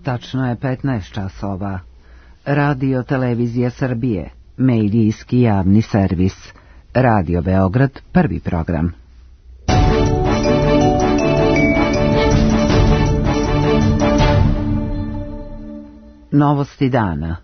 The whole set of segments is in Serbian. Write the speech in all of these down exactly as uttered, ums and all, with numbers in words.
Tačno je petnaest časova. Radio Televizija Srbije, medijski javni servis. Radio Beograd, prvi program. Novosti dana.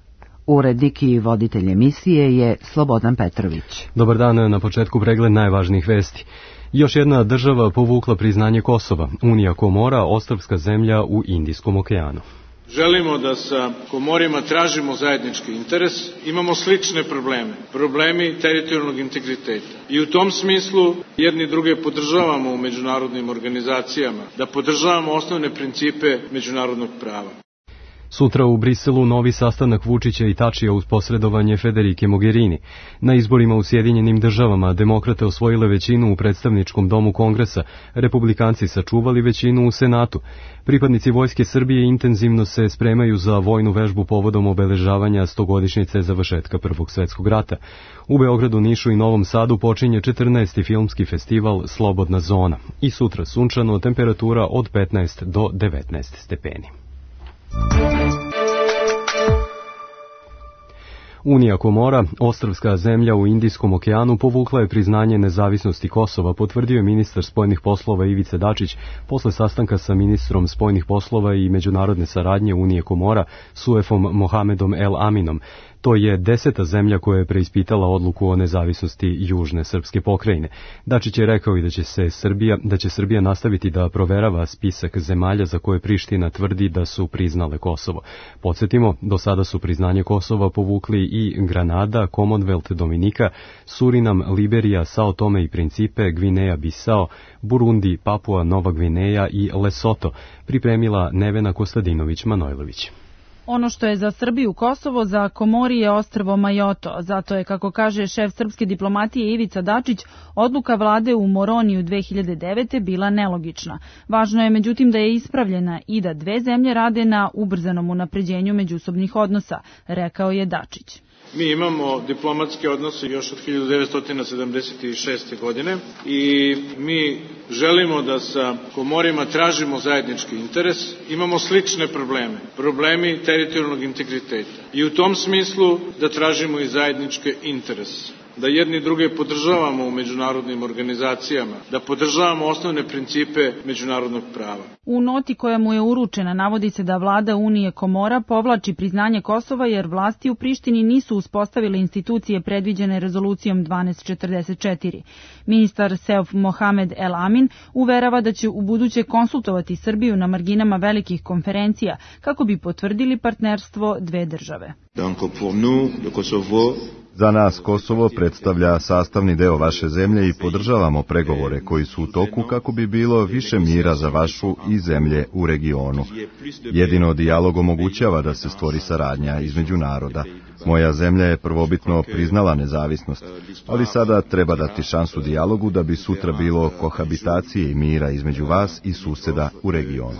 Urednik i voditelj emisije je Slobodan Petrović. Dobar dan, na početku pregled najvažnijih vesti. Još jedna država povukla priznanje Kosova, Unija Komora, ostrvska zemlja u Indijskom okeanu. Želimo da sa Komorima tražimo zajednički interes, imamo slične probleme, problemi teritorijalnog integriteta. I u tom smislu jedni druge podržavamo u međunarodnim organizacijama, da podržavamo osnovne principe međunarodnog prava. Sutra u Briselu novi sastanak Vučića i Tačija uz posredovanje Federike Mogherini. Na izborima u Sjedinjenim državama demokrate osvojile većinu u predstavničkom domu Kongresa, republikanci sačuvali većinu u Senatu. Pripadnici Vojske Srbije intenzivno se spremaju za vojnu vežbu povodom obeležavanja stogodišnjice završetka Prvog svetskog rata. U Beogradu, Nišu i Novom Sadu počinje četrnaesti filmski festival Slobodna zona. I sutra sunčano, temperatura od petnaest do devetnaest stepeni. Unija Komora, ostrvska zemlja u Indijskom okeanu, povukla je priznanje nezavisnosti Kosova, potvrdio je ministar spoljnih poslova Ivica Dačić posle sastanka sa ministrom spoljnih poslova i međunarodne saradnje Unije Komora, Suefom Mohamedom El Aminom. To je deseta zemlja koja je preispitala odluku o nezavisnosti južne srpske pokrajine. Dačić je rekao i da će se Srbija, da će Srbija nastaviti da proverava spisak zemalja za koje Priština tvrdi da su priznale Kosovo. Podsjetimo, do sada su priznanje Kosova povukli i Granada, Commonwealth Dominika, Surinam, Liberija, Sao Tome i Principe, Gvineja Bisao, Burundi, Papua Nova Gvineja i Lesoto, pripremila Nevena Kostadinović-Manojlović. Ono što je za Srbiju Kosovo, za Komori je ostrvo Majoto. Zato je, kako kaže šef srpske diplomatije Ivica Dačić, odluka vlade u Moroniju dve hiljade devete bila nelogična. Važno je međutim da je ispravljena i da dve zemlje rade na ubrzanom unapređenju međusobnih odnosa, rekao je Dačić. Mi imamo diplomatske odnose još od hiljadu devetsto sedamdeset šeste. godine i mi želimo da sa Komorima tražimo zajednički interes, imamo slične probleme, problemi teritorijalnog integriteta i u tom smislu da tražimo i zajedničke interese, da jedni druge podržavamo u međunarodnim organizacijama, da podržavamo osnovne principe međunarodnog prava. U noti koja mu je uručena navodi se da vlada Unije Komora povlači priznanje Kosova jer vlasti u Prištini nisu uspostavile institucije predviđene rezolucijom dvanaest četrdeset četiri. Ministar Seuf Mohamed El Amin uverava da će ubuduće konsultovati Srbiju na marginama velikih konferencija kako bi potvrdili partnerstvo dve države. Donc pour nous, le Kosovo Za nas Kosovo predstavlja sastavni deo vaše zemlje i podržavamo pregovore koji su u toku kako bi bilo više mira za vašu i zemlje u regionu. Jedino dijalog omogućava da se stvori saradnja između naroda. Moja zemlja je prvobitno priznala nezavisnost, ali sada treba dati šansu dijalogu da bi sutra bilo kohabitacije i mira između vas i suseda u regionu.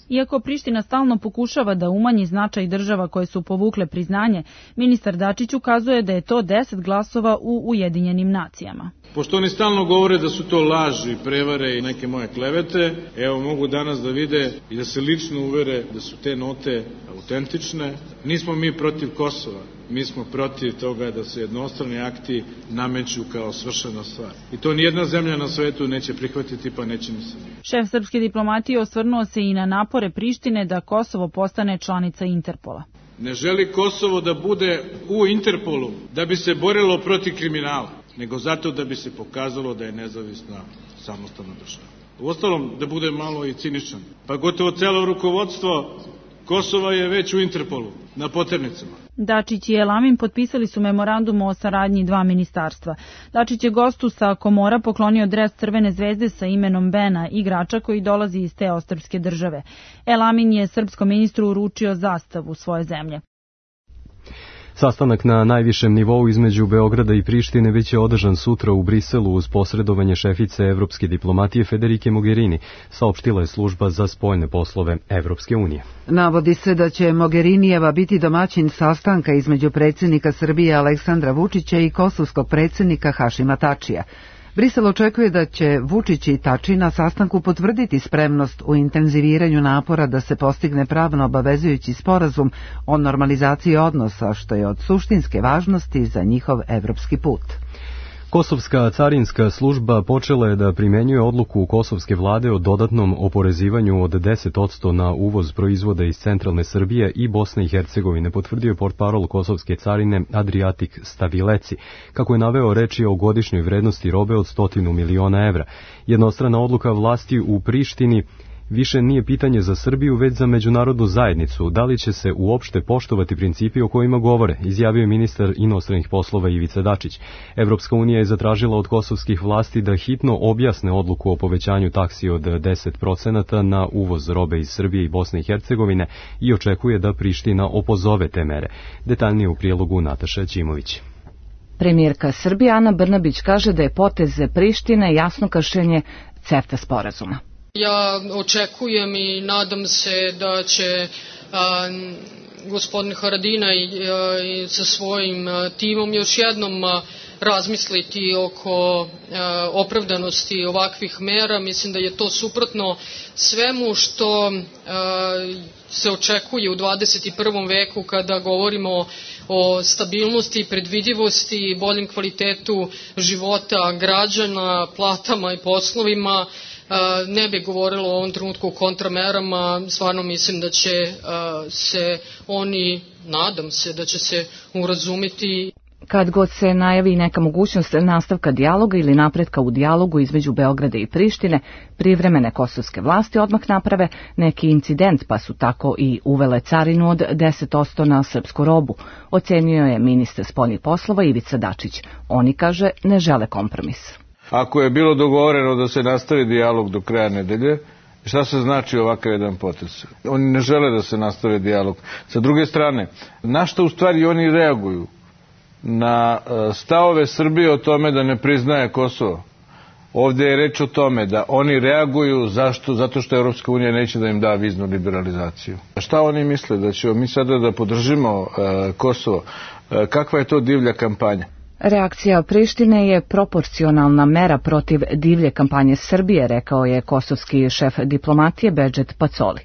Iako Priština stalno pokušava da umanji značaj država koje su povukle priznanje, ministar Dačić ukazuje da je to deset glasova u Ujedinjenim nacijama. Pošto oni stalno govore da su to laži, prevare i neke moje klevete, evo mogu danas da vide i da se lično uvere da su te note autentične. Nismo mi protiv Kosova, mi smo protiv toga da se jednostrani akti nameću kao svršena stvar. I to nijedna zemlja na svetu neće prihvatiti, pa neće ni se. Šef srpske diplomatije osvrnuo se i na napore Prištine da Kosovo postane članica Interpola. Ne želi Kosovo da bude u Interpolu da bi se borilo protiv kriminala, nego zato da bi se pokazalo da je nezavisna samostalna država. Uostalom, da bude malo i ciničan, pa gotovo celo rukovodstvo Kosova je već u Interpolu, na poternicama. Dačić i El Amin potpisali su memorandum o saradnji dva ministarstva. Dačić je gostu sa Komora poklonio dres Crvene zvezde sa imenom Bena, igrača koji dolazi iz te ostrvske države. El Amin je srpskom ministru uručio zastavu svoje zemlje. Sastanak na najvišem nivou između Beograda i Prištine već je održan sutra u Briselu uz posredovanje šefice evropske diplomatije Federike Mogherini, saopštila je služba za spoljne poslove Evropske unije. Navodi se da će Mogherinijeva biti domaćin sastanka između predsjednika Srbije Aleksandra Vučića i kosovskog predsjednika Hašima Tačija. Brisel očekuje da će Vučić i Tači na sastanku potvrditi spremnost u intenziviranju napora da se postigne pravno obavezujući sporazum o normalizaciji odnosa, što je od suštinske važnosti za njihov evropski put. Kosovska carinska služba počela je da primenjuje odluku kosovske vlade o dodatnom oporezivanju od deset posto na uvoz proizvoda iz centralne Srbije i Bosne i Hercegovine, potvrdio je portparol kosovske carine Adriatik Stavileci. Kako je naveo, reč je o godišnjoj vrednosti robe od stotinu miliona evra. Jednostrana odluka vlasti u Prištini više nije pitanje za Srbiju, već za međunarodnu zajednicu. Da li će se uopšte poštovati principi o kojima govore, izjavio je ministar inostranih poslova Ivica Dačić. Evropska unija je zatražila od kosovskih vlasti da hitno objasne odluku o povećanju taksi od deset procenata na uvoz robe iz Srbije i Bosne i Hercegovine i očekuje da Priština opozove te mere. Detaljnije u prijelogu Nataša Ćimović. Premijerka Srbije Ana Brnabić kaže da je potez Prištine jasno kršenje CEFTA sporazuma. Ja očekujem i nadam se da će a, gospodin Haradinaj sa svojim a, timom još jednom a, razmisliti oko a, opravdanosti ovakvih mera. Mislim da je to suprotno svemu što a, se očekuje u dvadeset prvom veku kada govorimo o stabilnosti, predvidivosti, boljem kvalitetu života građana, platama i poslovima. Ne bih govorila u ovom trenutku o kontramerama, stvarno mislim da će se oni, nadam se da će se urazumiti. Kad god se najavi neka mogućnost nastavka dijaloga ili napretka u dijalogu između Beograda i Prištine, privremene kosovske vlasti odmah naprave neki incident, pa su tako i uvele carinu od deset posto na srpsku robu, ocenio je ministar spoljnih poslova Ivica Dačić. Oni, kaže, ne žele kompromis. Ako je bilo dogovoreno da se nastavi dijalog do kraja nedelje, šta se znači ovakav jedan potez? Oni ne žele da se nastavi dijalog. Sa druge strane, na što u stvari oni reaguju? Na stavove Srbije o tome da ne priznaje Kosovo. Ovdje je reč o tome da oni reaguju zašto? Zato što Evropska unija neće da im da viznu liberalizaciju. Šta oni misle? Da ćemo mi sada da podržimo uh, Kosovo? Uh, kakva je to divlja kampanja? Reakcija Prištine je proporcionalna mera protiv divlje kampanje Srbije, rekao je kosovski šef diplomatije Bedžet Pacoli.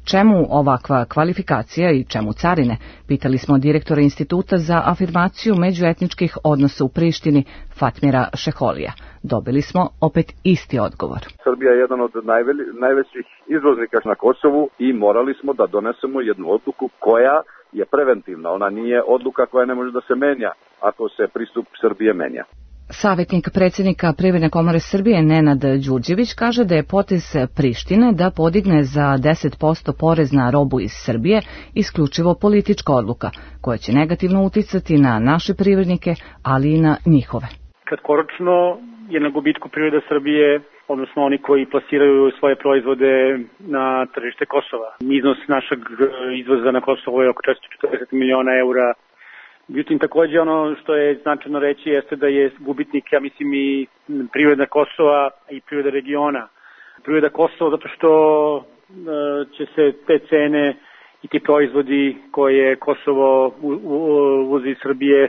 Čemu ovakva kvalifikacija i čemu carine? Pitali smo direktora Instituta za afirmaciju međuetničkih odnosa u Prištini Fatmira Šeholija. Dobili smo opet isti odgovor. Srbija je jedan od najveli, najvećih izvoznika na Kosovu i morali smo da donesemo jednu odluku koja je preventivna. Ona nije odluka koja ne može da se menja ako se pristup Srbije menja. Savjetnik predsjednika Privredne komore Srbije Nenad Đurđević kaže da je potez Prištine da podigne za deset posto porez na robu iz Srbije isključivo politička odluka koja će negativno uticati na naše privrednike, ali i na njihove. Kratkoročno je na gubitku privreda Srbije, odnosno oni koji plasiraju svoje proizvode na tržište Kosova. Iznos našeg izvoza na Kosovo je oko četiristo četrdeset miliona eura. Međutim, također ono što je značajno reći jeste da je gubitnik, ja mislim, i privreda Kosova i privreda regiona. Privreda Kosova zato što e, će se te cene i ti proizvodi koje Kosovo uvozi iz Srbije,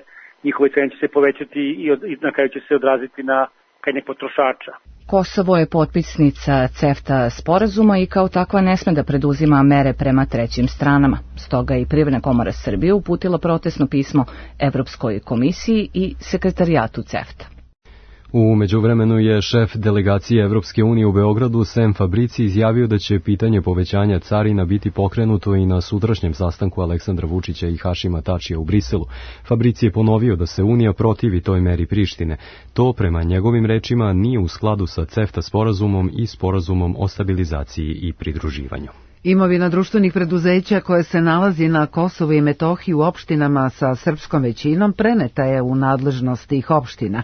njihove cene će se povećati i, od, i na kraju će se odraziti na krajnjeg potrošača. Kosovo je potpisnica CEFTA sporazuma i kao takva ne sme da preduzima mere prema trećim stranama. Stoga i Privredna komora Srbije uputila protestno pismo Evropskoj komisiji i sekretarijatu CEFTA. U međuvremenu je šef delegacije Evropske unije u Beogradu Sem Fabrici izjavio da će pitanje povećanja carina biti pokrenuto i na sutrašnjem sastanku Aleksandra Vučića i Hašima Tačija u Briselu. Fabrici je ponovio da se Unija protivi toj meri Prištine. To, prema njegovim rečima, nije u skladu sa CEFTA sporazumom i sporazumom o stabilizaciji i pridruživanju. Imovina društvenih preduzeća koje se nalazi na Kosovu i Metohiji u opštinama sa srpskom većinom preneta je u nadležnost tih opština.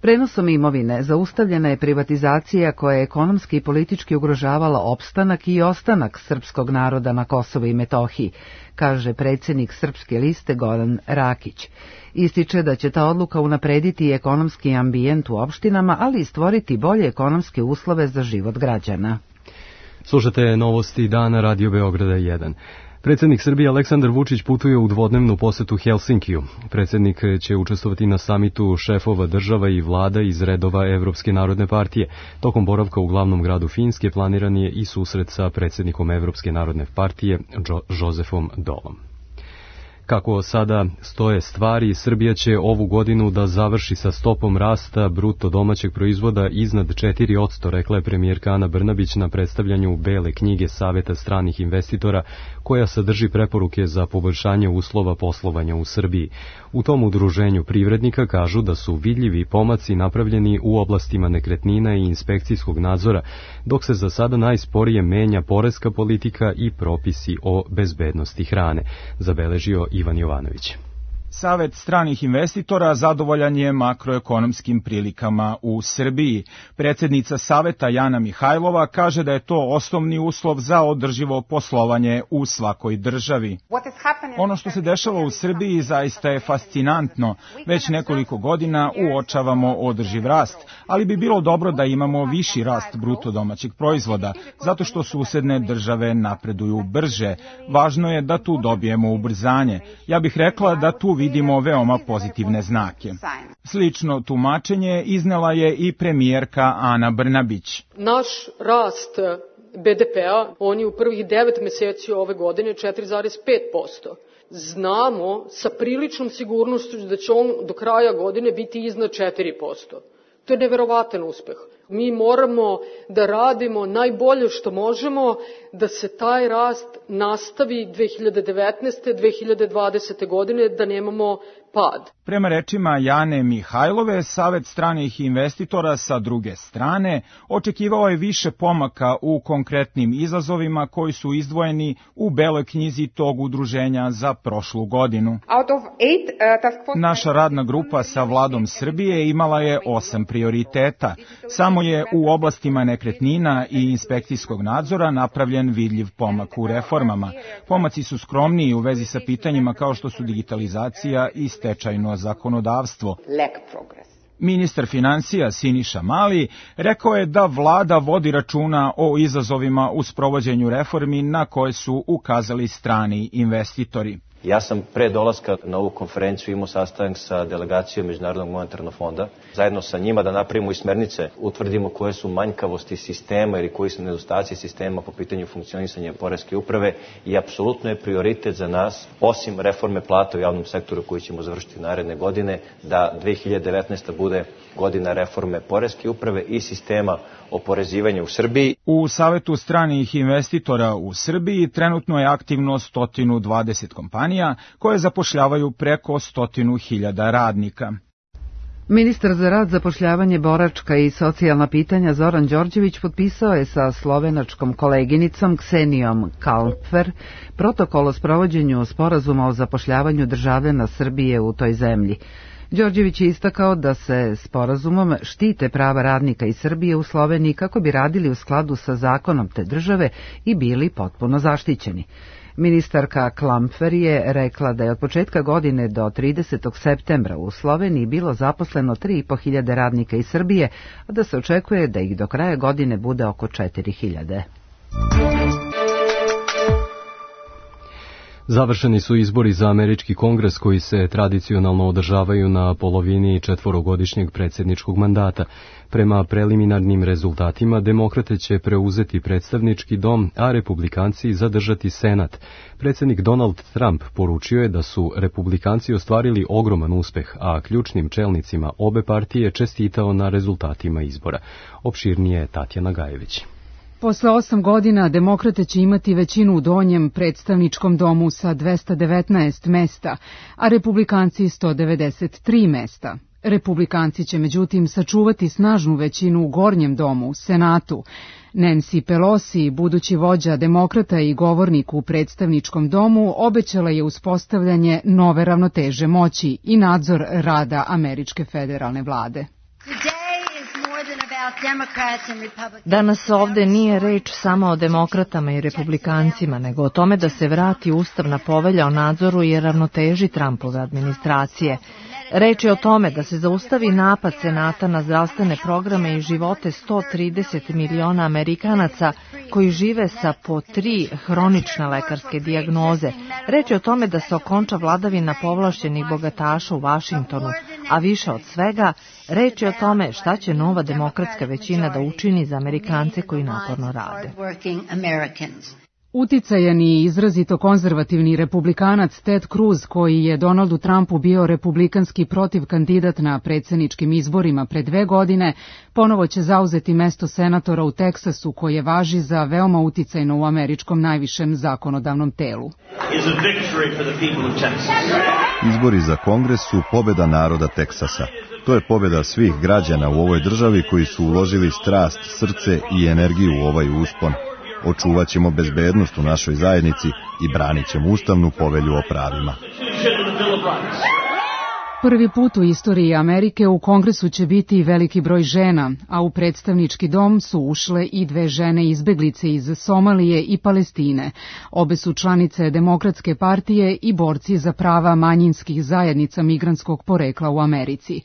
Prenosom imovine zaustavljena je privatizacija koja je ekonomski i politički ugrožavala opstanak i ostanak srpskog naroda na Kosovu i Metohiji, kaže predsjednik Srpske liste Goran Rakić. Ističe da će ta odluka unaprediti ekonomski ambijent u opštinama, ali i stvoriti bolje ekonomske uslove za život građana. Slušate novosti dana Radio Beograda jedan. Predsjednik Srbije Aleksandar Vučić putuje u dvodnevnu posetu Helsinkiju. Predsjednik će učestvovati na samitu šefova država i vlada iz redova Evropske narodne partije. Tokom boravka u glavnom gradu Finske planiran je i susret sa predsjednikom Evropske narodne partije Josefom Dolom. Kako sada stoje stvari, Srbija će ovu godinu da završi sa stopom rasta bruto domaćeg proizvoda iznad četiri posto, rekla je premijerka Ana Brnabić na predstavljanju Bele knjige Saveta stranih investitora, koja sadrži preporuke za poboljšanje uslova poslovanja u Srbiji. U tom udruženju privrednika kažu da su vidljivi pomaci napravljeni u oblastima nekretnina i inspekcijskog nadzora, dok se za sada najsporije menja poreska politika i propisi o bezbednosti hrane, zabeležio Ivan Jovanović. Savet stranih investitora zadovoljan je makroekonomskim prilikama u Srbiji. Predsjednica Saveta Jana Mihajlova kaže da je to osnovni uslov za održivo poslovanje u svakoj državi. Ono što se dešava u Srbiji zaista je fascinantno. Već nekoliko godina uočavamo održiv rast, ali bi bilo dobro da imamo viši rast bruto domaćeg proizvoda, zato što susedne države napreduju brže. Važno je da tu dobijemo ubrzanje. Ja bih rekla da tu vidimo veoma pozitivne znake. Slično tumačenje iznela je i premijerka Ana Brnabić. Naš rast be de pea, on je u prvih devet meseci ove godine četiri zarez pet posto. Znamo sa priličnom sigurnošću da će on do kraja godine biti iznad četiri posto. To je neverovatan uspeh. Mi moramo da radimo najbolje što možemo da se taj rast nastavi dve hiljade devetnaeste. dve hiljade dvadesete. godine, da nemamo pad. Prema rečima Jane Mihajlove, Savet stranih investitora sa druge strane očekivao je više pomaka u konkretnim izazovima koji su izdvojeni u Beloj knjizi tog udruženja za prošlu godinu. Naša radna grupa sa vladom Srbije imala je osam prioriteta. Samo je u oblastima nekretnina i inspekcijskog nadzora napravljen vidljiv pomak u reformama. Pomaci su skromniji u vezi sa pitanjima kao što su digitalizacija i stečajno zakonodavstvo. Ministar financija Siniša Mali rekao je da vlada vodi računa o izazovima u sprovođenju reformi na koje su ukazali strani investitori. Ja sam pre dolaska na ovu konferenciju imao sastanak sa delegacijom Međunarodnog monetarnog fonda, zajedno sa njima da napravimo i smernice, utvrdimo koje su manjkavosti sistema ili koji su nedostaci sistema po pitanju funkcionisanja poreske uprave i apsolutno je prioritet za nas, osim reforme plata u javnom sektoru koju ćemo završiti naredne godine, da dve hiljade devetnaesta. bude godina reforme poreske uprave i sistema oporezivanja u Srbiji. U Savetu stranih investitora u Srbiji trenutno je aktivno sto dvadeset kompanija koje zapošljavaju preko stotinu hiljada radnika. Ministar za rad, zapošljavanje, boračka i socijalna pitanja Zoran Đorđević potpisao je sa slovenačkom koleginicom Ksenijom Kalpfer protokol o sprovođenju sporazuma o zapošljavanju državljana Srbije u toj zemlji. Đorđević je istakao da se sporazumom štite prava radnika iz Srbije u Sloveniji kako bi radili u skladu sa zakonom te države i bili potpuno zaštićeni. Ministarka Klampfer je rekla da je od početka godine do tridesetog septembra u Sloveniji bilo zaposleno tri i po hiljade radnika iz Srbije, a da se očekuje da ih do kraja godine bude oko četiri hiljade. Završeni su izbori za američki kongres koji se tradicionalno održavaju na polovini četvorogodišnjeg predsjedničkog mandata. Prema preliminarnim rezultatima, demokrate će preuzeti predstavnički dom, a republikanci zadržati senat. Predsjednik Donald Trump poručio je da su republikanci ostvarili ogroman uspeh, a ključnim čelnicima obe partije čestitao na rezultatima izbora. Opširnije Tatjana Gajević. Posle osam godina demokrate će imati većinu u donjem predstavničkom domu sa dvesta devetnaest mesta, a republikanci sto devedeset tri mesta. Republikanci će međutim sačuvati snažnu većinu u gornjem domu, Senatu. Nancy Pelosi, budući vođa demokrata i govornik u predstavničkom domu, obećala je uspostavljanje nove ravnoteže moći i nadzor rada američke federalne vlade. Danas ovde nije reč samo o demokratama i republikancima, nego o tome da se vrati ustavna povelja o nadzoru i ravnoteži Trumpove administracije. Reč je o tome da se zaustavi napad Senata na zdravstvene programe i živote sto trideset miliona Amerikanaca koji žive sa po tri hronične lekarske dijagnoze. Reč je o tome da se okonča vladavina povlašćenih bogataša u Vašingtonu, a više od svega, reč je o tome šta će nova demokratska većina da učini za Amerikance koji naporno rade. Uticajan i izrazito konzervativni republikanac Ted Cruz, koji je Donaldu Trumpu bio republikanski protiv kandidat na predsjedničkim izborima pre dve godine, ponovo će zauzeti mesto senatora u Teksasu, koje važi za veoma uticajno u američkom najvišem zakonodavnom telu. Izbori za Kongres su pobeda naroda Teksasa. To je pobeda svih građana u ovoj državi koji su uložili strast, srce i energiju u ovaj uspon. Očuvat ćemo bezbednost u našoj zajednici i branit ćemo ustavnu povelju o pravima. Prvi put u istoriji Amerike u Kongresu će biti veliki broj žena, a u predstavnički dom su ušle i dve žene izbeglice iz Somalije i Palestine. Obe su članice Demokratske partije i borci za prava manjinskih zajednica migrantskog porekla u Americi.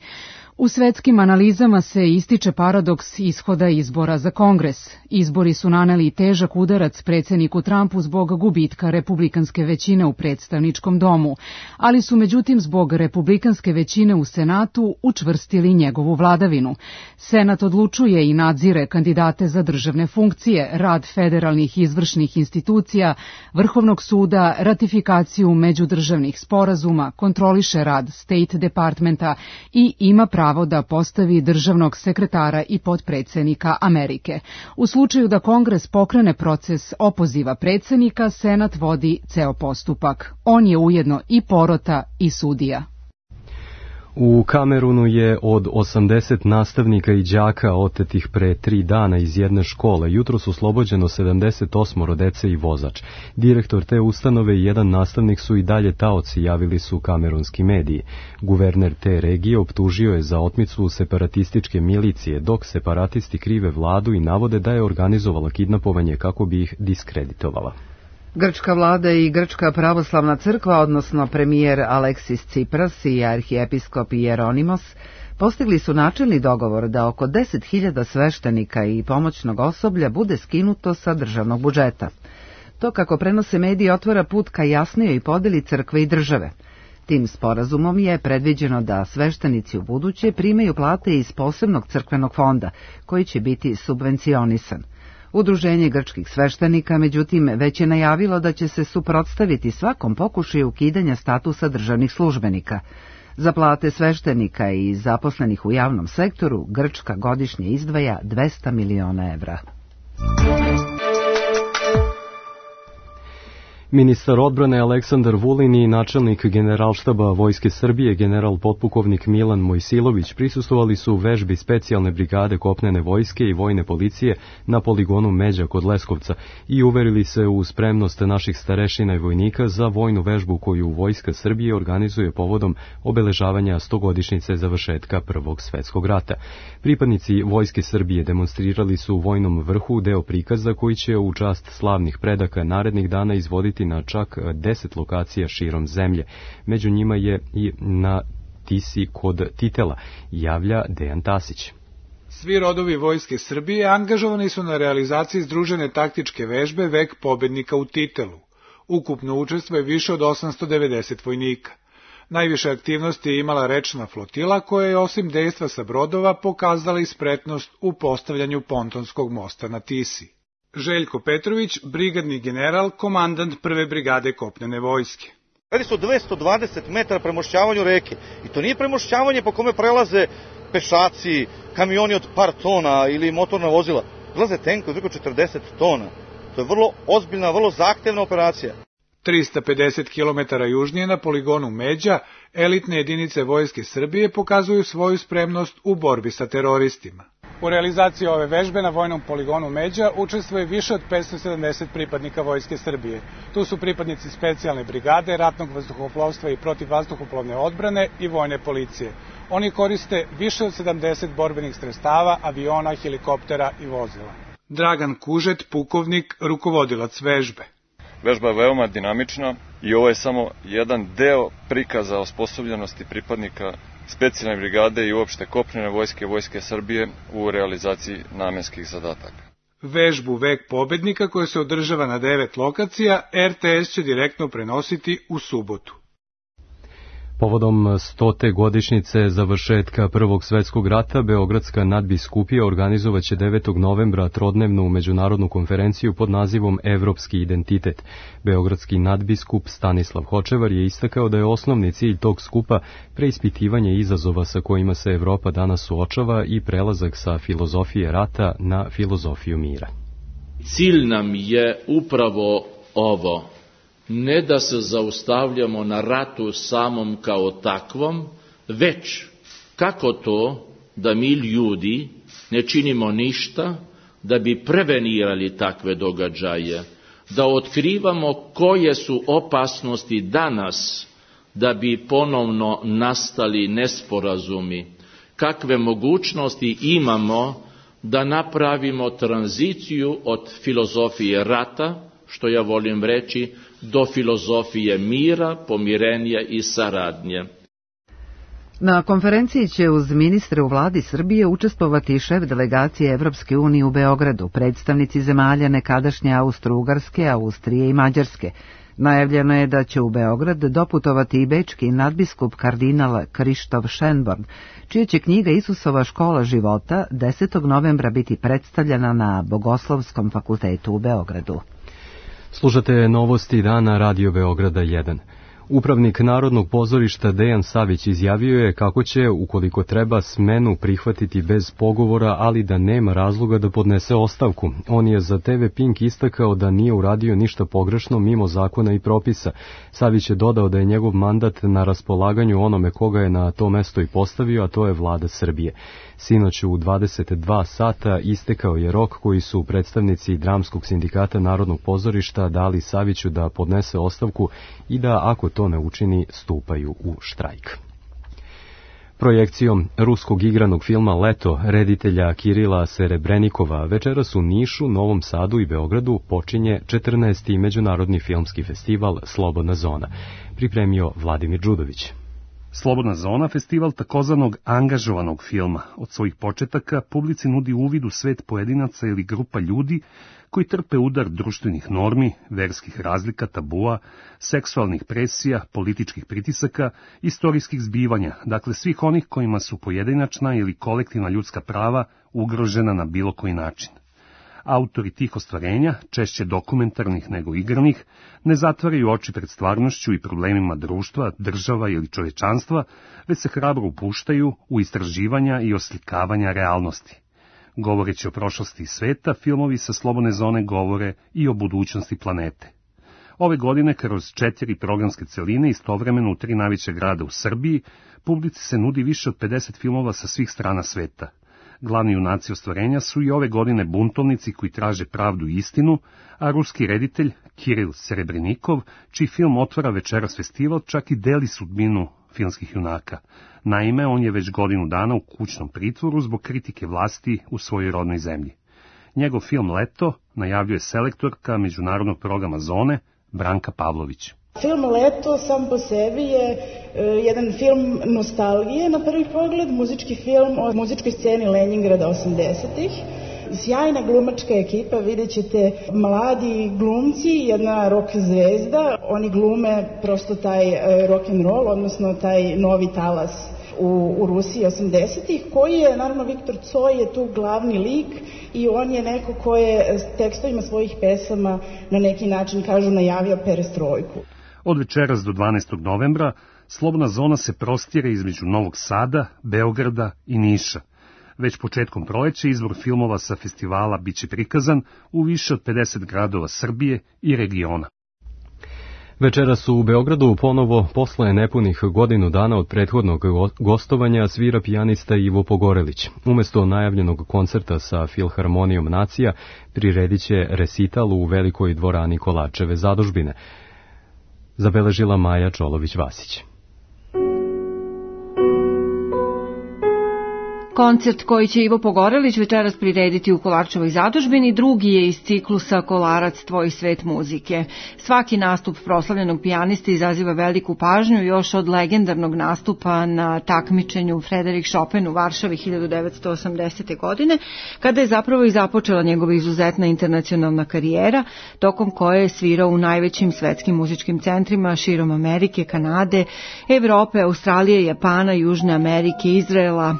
U svetskim analizama se ističe paradoks ishoda izbora za Kongres. Izbori su naneli težak udarac predsjedniku Trumpu zbog gubitka republikanske većine u predstavničkom domu, ali su međutim zbog republikanske većine u Senatu učvrstili njegovu vladavinu. Senat odlučuje i nadzire kandidate za državne funkcije, rad federalnih izvršnih institucija, Vrhovnog suda, ratifikaciju međudržavnih sporazuma, kontroliše rad State Departmenta i ima pravo pravo da postavi državnog sekretara i potpredsjednika Amerike. U slučaju da Kongres pokrene proces opoziva predsjednika, Senat vodi ceo postupak. On je ujedno i porota i sudija. U Kamerunu je od osamdeset nastavnika i đaka otetih pre tri dana iz jedne škole jutros oslobođeno sedamdeset osam dece i vozač. Direktor te ustanove i jedan nastavnik su i dalje taoci, javili su kamerunski mediji. Guverner te regije optužio je za otmicu separatističke milicije, dok separatisti krive vladu i navode da je organizovala kidnapovanje kako bi ih diskreditovala. Grčka vlada i Grčka pravoslavna crkva, odnosno premijer Aleksis Tsipras i arhijepiskop Jeronimos, postigli su načelni dogovor da oko deset hiljada sveštenika i pomoćnog osoblja bude skinuto sa državnog budžeta. To, kako prenose mediji, otvara put ka jasnijoj podeli crkve i države. Tim sporazumom je predviđeno da sveštenici u buduće primaju plate iz posebnog crkvenog fonda, koji će biti subvencionisan. Udruženje grčkih sveštenika, međutim, već je najavilo da će se suprotstaviti svakom pokušaju ukidanja statusa državnih službenika. Za plate sveštenika i zaposlenih u javnom sektoru Grčka godišnje izdvaja dvesta miliona evra. Ministar odbrane Aleksandar Vulin i načelnik Generalštaba Vojske Srbije, general potpukovnik Milan Mojsilović, prisustvovali su u vežbi specijalne brigade kopnene vojske i vojne policije na poligonu Međa kod Leskovca i uverili se u spremnost naših starešina i vojnika za vojnu vežbu koju Vojska Srbije organizuje povodom obeležavanja stogodišnjice završetka Prvog svetskog rata. Pripadnici Vojske Srbije demonstrirali su u vojnom vrhu deo prikaza koji će u čast slavnih predaka narednih dana izvoditi na čak deset lokacija širom zemlje. Među njima je i na Tisi kod Titela, javlja Dejan Tasić. Svi rodovi Vojske Srbije angažovani su na realizaciji združene taktičke vežbe Vek pobednika u Titelu. Ukupno učestvuje više od osamsto devedeset vojnika. Najviše aktivnosti je imala rečna flotila koja je osim dejstva sa brodova pokazala i spretnost u postavljanju pontonskog mosta na Tisi. Željko Petrović, brigadni general, komandant prve brigade kopnene vojske. Radi se o dvesta dvadeset metara premošćavanju reke i to nije premošćavanje po kome prelaze pešaci, kamioni od par tona ili motorna vozila. Prelaze tenkovi od preko četrdeset tona. To je vrlo ozbiljna, vrlo zahtevna operacija. trista pedeset kilometara južnije na poligonu Međa, elitne jedinice Vojske Srbije pokazuju svoju spremnost u borbi sa teroristima. U realizaciji ove vežbe na vojnom poligonu Međa učestvuje više od petsto sedamdeset pripadnika Vojske Srbije. Tu su pripadnici specijalne brigade, ratnog vazduhoplovstva i protivvazduhoplovne odbrane i vojne policije. Oni koriste više od sedamdeset borbenih sredstava, aviona, helikoptera i vozila. Dragan Kužet, pukovnik, rukovodilac vežbe. Vežba je veoma dinamična i ovo je samo jedan deo prikaza osposobljenosti pripadnika specijalne brigade i uopšte kopnene vojske Vojske Srbije u realizaciji namenskih zadataka. Vežbu Vek pobednika, koja se održava na devet lokacija, er te es će direktno prenositi u subotu. Povodom stote godišnjice završetka Prvog svetskog rata, Beogradska nadbiskupija organizovaće devetog novembra trodnevnu međunarodnu konferenciju pod nazivom Evropski identitet. Beogradski nadbiskup Stanislav Hočevar je istakao da je osnovni cilj tog skupa preispitivanje izazova sa kojima se Evropa danas suočava i prelazak sa filozofije rata na filozofiju mira. Cilj nam je upravo ovo. Ne da se zaustavljamo na ratu samom kao takvom, već kako to da mi ljudi ne činimo ništa da bi prevenirali takve događaje, da otkrivamo koje su opasnosti danas da bi ponovno nastali nesporazumi, kakve mogućnosti imamo da napravimo tranziciju od filozofije rata, što ja volim reći, do filozofije mira, pomirenja i saradnje. Na konferenciji će uz ministre u vladi Srbije učestvovati šef delegacije Evropske unije u Beogradu, predstavnici zemalja nekadašnje Austro-Ugarske, Austrije i Mađarske. Najavljeno je da će u Beograd doputovati i bečki nadbiskup kardinal Krištof Šenborn, čija će knjiga Isusova škola života desetog novembra biti predstavljena na Bogoslovskom fakultetu u Beogradu. Slušate novosti dana Radio Beograda jedan. Upravnik Narodnog pozorišta Dejan Savić izjavio je kako će, ukoliko treba, smenu prihvatiti bez pogovora, ali da nema razloga da podnese ostavku. On je za te ve Pink istakao da nije uradio ništa pogrešno mimo zakona i propisa. Savić je dodao da je njegov mandat na raspolaganju onome koga je na to mesto i postavio, a to je vlada Srbije. Sinoć u dvadeset dva sata istekao je rok koji su predstavnici Dramskog sindikata Narodnog pozorišta dali Saviću da podnese ostavku i da, ako to ne učini, stupaju u štrajk. Projekcijom ruskog igranog filma Leto reditelja Kirila Serebrenikova večeras u Nišu, Novom Sadu i Beogradu počinje četrnaesti međunarodni filmski festival Slobodna zona, pripremio Vladimir Đudović. Slobodna zona, festival takozvanog angažovanog filma. Od svojih početaka publici nudi uvid u svet pojedinaca ili grupa ljudi koji trpe udar društvenih normi, verskih razlika, tabua, seksualnih presija, političkih pritisaka, istorijskih zbivanja, dakle svih onih kojima su pojedinačna ili kolektivna ljudska prava ugrožena na bilo koji način. Autori tih ostvarenja, češće dokumentarnih nego igranih, ne zatvaraju oči pred stvarnošću i problemima društva, država ili čovečanstva, već se hrabro upuštaju u istraživanja i oslikavanja realnosti. Govoreći o prošlosti sveta, filmovi sa Slobodne zone govore i o budućnosti planete. Ove godine, kroz četiri programske celine, istovremeno u tri najveća grada u Srbiji, publici se nudi više od pedeset filmova sa svih strana sveta. Glavni junaci ostvarenja su i ove godine buntovnici koji traže pravdu i istinu, a ruski reditelj Kiril Serebrenikov, čiji film otvara večeras festival, čak i deli sudbinu filmskih junaka. Naime, on je već godinu dana u kućnom pritvoru zbog kritike vlasti u svojoj rodnoj zemlji. Njegov film Leto najavljuje selektorka međunarodnog programa Zone Branka Pavlović. Film Leto sam po sebi je e, jedan film nostalgije na prvi pogled, muzički film o muzičkoj sceni Leningrada osamdesetih. Sjajna glumačka ekipa, vidjet ćete mladi glumci, jedna rock zvezda, oni glume prosto taj e, rock and roll, odnosno taj novi talas u, u Rusiji osamdesetih, koji je, naravno, Viktor Coj je tu glavni lik i on je neko ko je tekstovima svojih pesama na neki način, kažu, najavio perestrojku. Od večeras do dvanaestog novembra Slobodna zona se prostire između Novog Sada, Beograda i Niša. Već početkom proleća izbor filmova sa festivala biće prikazan u više od pedeset gradova Srbije i regiona. Večeras su u Beogradu ponovo, posle nepunih godinu dana od prethodnog gostovanja, svira pijanista Ivo Pogorelić. Umesto najavljenog koncerta sa Filharmonijom Nacija, priredit će resital u velikoj dvorani Kolačeve zadužbine, zabeležila Maja Čolović-Vasić. Koncert koji će Ivo Pogorelić večeras prirediti u Kolarčevoj zadužbini drugi je iz ciklusa Kolarac, tvoj svet muzike. Svaki nastup proslavljenog pijaniste izaziva veliku pažnju još od legendarnog nastupa na takmičenju Frederik Chopin u Varšavi hiljadu devetsto osamdesete. godine, kada je zapravo i započela njegova izuzetna internacionalna karijera, tokom koje je svirao u najvećim svetskim muzičkim centrima širom Amerike, Kanade, Evrope, Australije, Japana, Južne Amerike, Izraela.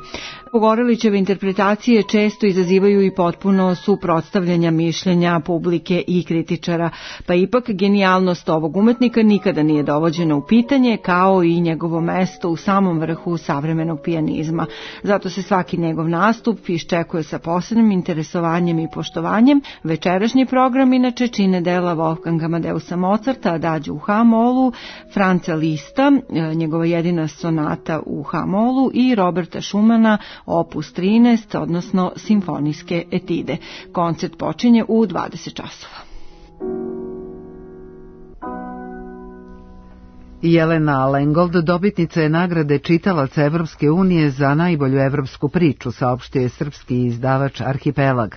Pogorelićeve interpretacije često izazivaju i potpuno suprotstavljanja mišljenja publike i kritičara, pa ipak genijalnost ovog umetnika nikada nije dovođena u pitanje, kao i njegovo mesto u samom vrhu savremenog pijanizma. Zato se svaki njegov nastup iščekuje sa posebnim interesovanjem i poštovanjem. Večerašnji program inače čine dela Wolfganga Amadeusa Mozarta, Adagio u H-molu, Franca Lista, njegova jedina sonata u H-molu, i Roberta Schumana, opus trinaest, odnosno simfonijske etide. Koncert počinje u dvadeset časova. Jelena Lengold dobitnica je nagrade čitalaca Evropske unije za najbolju evropsku priču, saopštio je srpski izdavač Arhipelag.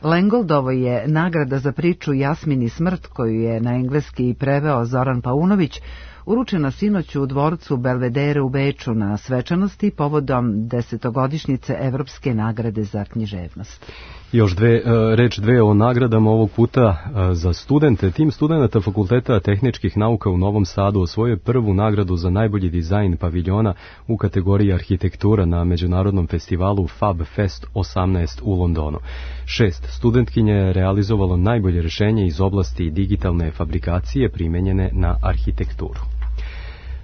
Lengoldovo je nagrada za priču Jasmini smrt, koju je na engleski preveo Zoran Paunović, uručena sinoć u dvorcu Belvedere u Beču na svečanosti povodom desetogodišnjice Evropske nagrade za književnost. Još dve, reč dve o nagradama, ovog puta za studente. Tim studenta Fakulteta tehničkih nauka u Novom Sadu osvojio prvu nagradu za najbolji dizajn paviljona u kategoriji arhitektura na međunarodnom festivalu Fab Fest osamnaest u Londonu. Šest studentkinja je realizovalo najbolje rješenje iz oblasti digitalne fabrikacije primenjene na arhitekturu.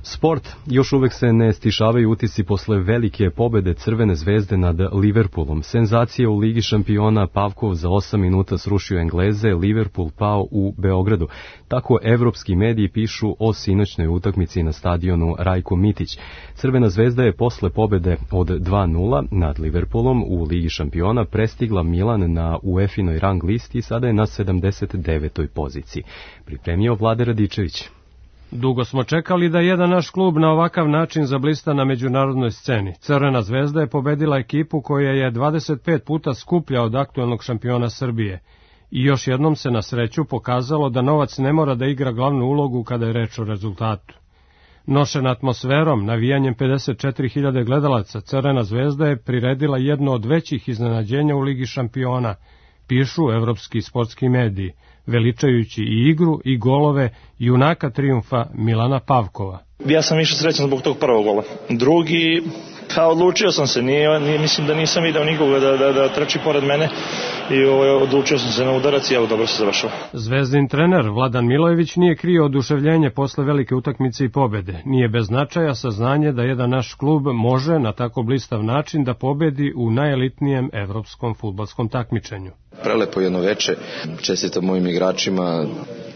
Sport. Još uvek se ne stišavaju utisci posle velike pobede Crvene zvezde nad Liverpoolom. Senzacija u Ligi šampiona, Pavkov za osam minuta srušio Engleze, Liverpool pao u Beogradu. Tako evropski mediji pišu o sinoćnoj utakmici na stadionu Rajko Mitić. Crvena zvezda je posle pobede od dva nula nad Liverpoolom u Ligi šampiona prestigla Milan na UEFA-inoj rang listi i sada je na sedamdeset devetoj poziciji. Pripremio Vlade Radičević. Dugo smo čekali da jedan naš klub na ovakav način zablista na međunarodnoj sceni. Crvena zvezda je pobedila ekipu koja je dvadeset pet puta skuplja od aktuelnog šampiona Srbije. I još jednom se na sreću pokazalo da novac ne mora da igra glavnu ulogu kada je reč o rezultatu. Nošena atmosferom, navijanjem pedeset četiri hiljade gledalaca, Crvena zvezda je priredila jedno od većih iznenađenja u Ligi šampiona, pišu evropski sportski mediji, veličajući i igru i golove junaka trijumfa Milana Pavkova. Ja sam više srećan zbog tog prvog gola. Drugi, pa odlučio sam se, nije, nije, mislim da nisam video nikoga da, da, da trči pored mene i ovaj, odlučio sam se na udarac i evo dobro se završao. Zvezdin trener Vladan Milojević nije krio oduševljenje posle velike utakmice i pobede. Nije bez značaja saznanje da jedan naš klub može na tako blistav način da pobedi u najelitnijem evropskom fudbalskom takmičenju. Prelepo jedno veče, čestitam mojim igračima,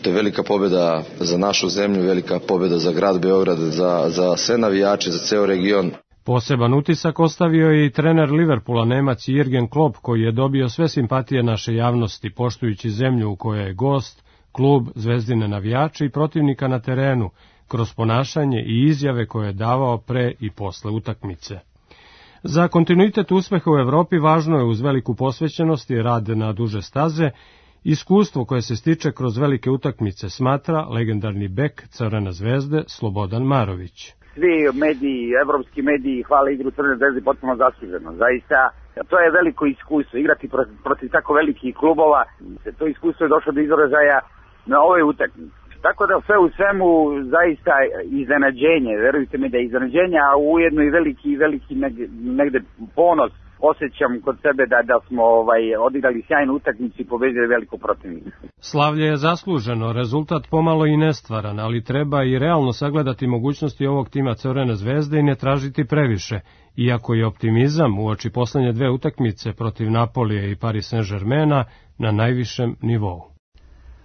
to je velika pobjeda za našu zemlju, velika pobjeda za grad Beograd, za, za sve navijače, za ceo region. Poseban utisak ostavio je i trener Liverpoola, Nemac Jürgen Klopp, koji je dobio sve simpatije naše javnosti, poštujući zemlju u kojoj je gost, klub, zvezdine navijače i protivnika na terenu, kroz ponašanje i izjave koje je davao pre i posle utakmice. Za kontinuitet uspeha u Evropi važno je uz veliku posvećenost i rad na duže staze iskustvo koje se stiče kroz velike utakmice, smatra legendarni bek Crvene zvezde Slobodan Marović. Svi mediji, evropski mediji hvale igru Crvene zvezde potpuno zasluženo. Zaista, to je veliko iskustvo. Igrati protiv, protiv tako velikih klubova, to iskustvo je došlo do izražaja na ovoj utakmici. Tako da sve u svemu zaista iznenađenje, verujte mi da je iznenađenje, a ujedno i veliki, veliki negde ponos osjećam kod sebe da, da smo ovaj, odigrali sjajnu utakmicu i pobedili veliko protivnika. Slavlje je zasluženo, rezultat pomalo i nestvaran, ali treba i realno sagledati mogućnosti ovog tima Crvene zvezde i ne tražiti previše, iako je optimizam uoči poslednje dve utakmice protiv Napolija i Paris Saint-Germaina na najvišem nivou.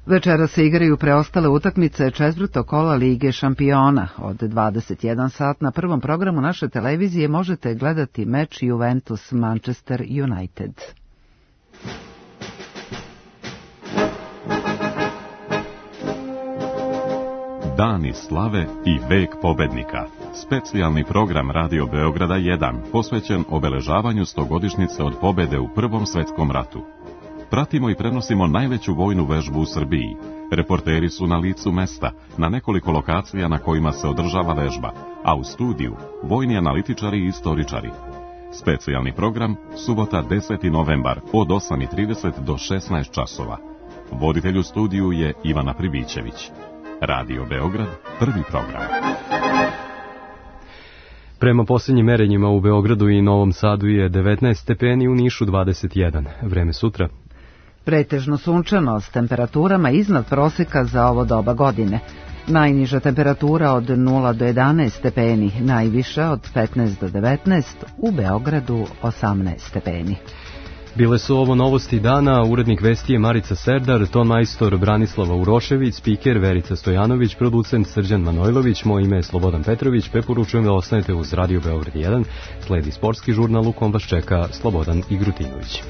Večera se igraju preostale utakmice četvrtog kola Lige šampiona. Od dvadeset jedan sat na prvom programu naše televizije možete gledati meč Juventus Manchester United. Dani slave i vek pobednika. Specijalni program Radio Beograda jedan posvećen obeležavanju stogodišnjice od pobede u Prvom svetskom ratu. Pratimo i prenosimo najveću vojnu vežbu u Srbiji. Reporteri su na licu mesta, na nekoliko lokacija na kojima se održava vežba, a u studiju vojni analitičari i istoričari. Specijalni program, subota deseti novembar od osam i trideset do šesnaest časova. Voditelj u studiju je Ivana Pribićević. Radio Beograd, prvi program. Prema posljednjim merenjima u Beogradu i Novom Sadu je devetnaest stepeni, u Nišu dvadeset jedan. Vreme sutra. Pretežno sunčano s temperaturama iznad proseka za ovo doba godine. Najniža temperatura od nula do jedanaest stepeni, najviša od petnaest do devetnaest, u Beogradu osamnaest stepeni. Bile su ovo novosti dana, urednik vesti je Marica Serdar, ton majstor Branislava Urošević, spiker Verica Stojanović, producent Srđan Manojlović, moje ime je Slobodan Petrović, preporučujem da ostanete uz Radio Beograd jedan, sledi sportski žurnal u kom vas čeka Slobodan Igrutinović.